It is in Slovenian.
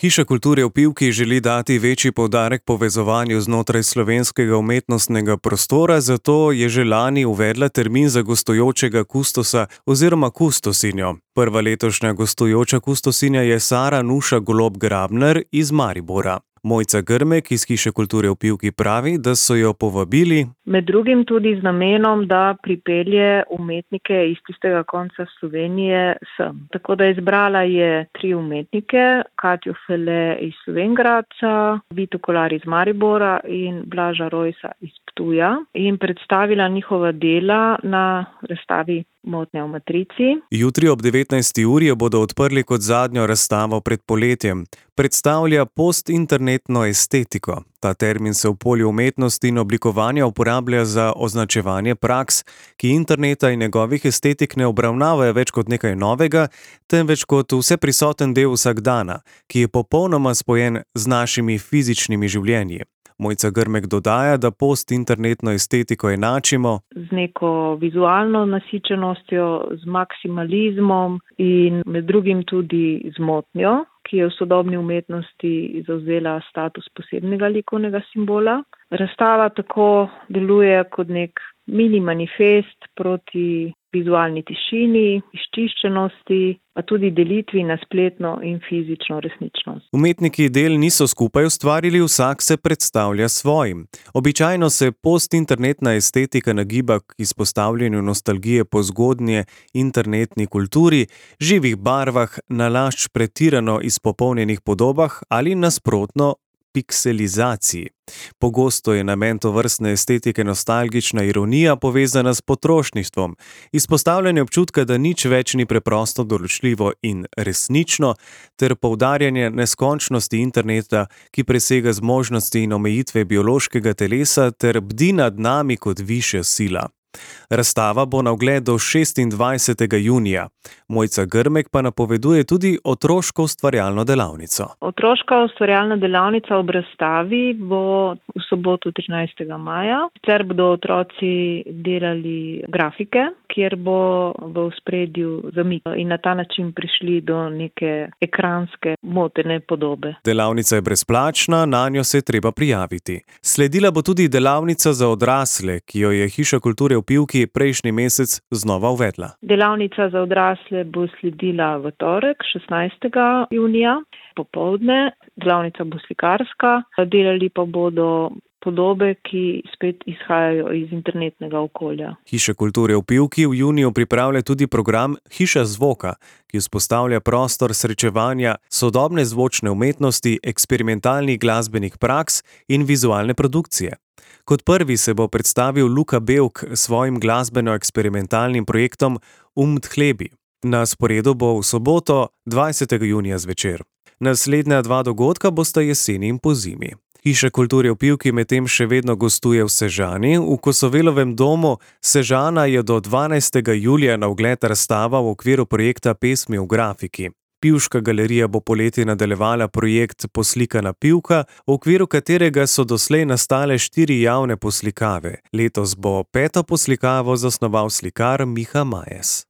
Hiša kulture v Pivki želi dati večji poudarek povezovanju znotraj slovenskega umetnostnega prostora, zato je že lani uvedla termin za gostujočega kustosa oziroma kustosinjo. Prva letošnja gostujoča kustosinja je Sara Nuša Golob-Grabner iz Maribora. Mojca Grmek iz Hiše kulture v Pivki pravi, da so jo povabili med drugim tudi z namenom, da pripelje umetnike iz tistega konca Slovenije sem. Tako da izbrala je 3 umetnike, Katjo Fele iz Slovenj Gradca, Vito Kolar iz Maribora in Blaža Rojsa iz Ptuja in predstavila njihova dela na razstavi Motnja v matrici. Jutri ob 19. uri jo bodo odprli kot zadnjo razstavo pred poletjem. Predstavlja postinternetno estetiko. Ta termin se v polju umetnosti in oblikovanja uporablja za označevanje praks, ki interneta in njegovih estetik ne obravnavajo več kot nekaj novega, temveč kot vseprisoten del vsakdana, ki je popolnoma spojen z našimi fizičnimi življenji. Mojca Grmek dodaja, da postinternetno estetiko enačimo z neko vizualno nasičenostjo, z maksimalizmom in med drugim tudi z motnjo, ki je v sodobni umetnosti zavzela status posebnega likovnega simbola. Razstava tako deluje kot nek mini manifest proti vizualni tišini, izčiščenosti, pa tudi delitvi na spletno in fizično resničnost. Umetniki del niso skupaj ustvarili, vsak se predstavlja svojim. Običajno se postinternetna estetika nagiba k izpostavljanju nostalgije po zgodnje internetni kulturi, živih barvah, nalašč pretirano izpopolnjenih podobah ali nasprotno pikselizaciji. Pogosto je namen tovrstne estetike nostalgična ironija povezana s potrošništvom, izpostavljanje občutka, da nič več ni preprosto določljivo in resnično, ter poudarjanje neskončnosti interneta, ki presega zmožnosti in omejitve biološkega telesa ter bdi nad nami kot višja sila. Razstava bo na ogled do 26. junija. Mojca Grmek pa napoveduje tudi otroško ustvarjalno delavnico. Otroška ustvarjalna delavnica ob razstavi bo v soboto 13. maja. Sicer bodo otroci delali grafike, kjer bo v ospredju zamik in na ta način prišli do neke ekranske motene podobe. Delavnica je brezplačna, nanjo se je treba prijaviti. Sledila bo tudi delavnica za odrasle, ki jo je Hiša kulture v Pivki prejšnji mesec znova uvedla. Delavnica za odrasle bo sledila v torek, 16. junija, popoldne. Delavnica bo slikarska, delali pa bodo podobe, ki spet izhajajo iz internetnega okolja. Hiša kulture v Pivki v juniju pripravlja tudi program Hiša zvoka, ki vzpostavlja prostor srečevanja sodobne zvočne umetnosti, eksperimentalnih glasbenih praks in vizualne produkcije. Kot prvi se bo predstavil Luka Bevk s svojim glasbeno-eksperimentalnim projektom Tchlebi. Na sporedu bo v soboto 20. junija zvečer. Naslednja 2 dogodka bosta jeseni in pozimi. Hiša kulture v Pivki medtem še vedno gostuje v Sežani. V Kosovelovem domu Sežana je do 12. julija na ogled razstava v okviru projekta Pesmi v grafiki. Pivška galerija bo poleti nadaljevala projekt Poslikana Pivka, v okviru katerega so doslej nastale 4 javne poslikave. Letos bo 5. poslikavo zasnoval slikar Miha Majes.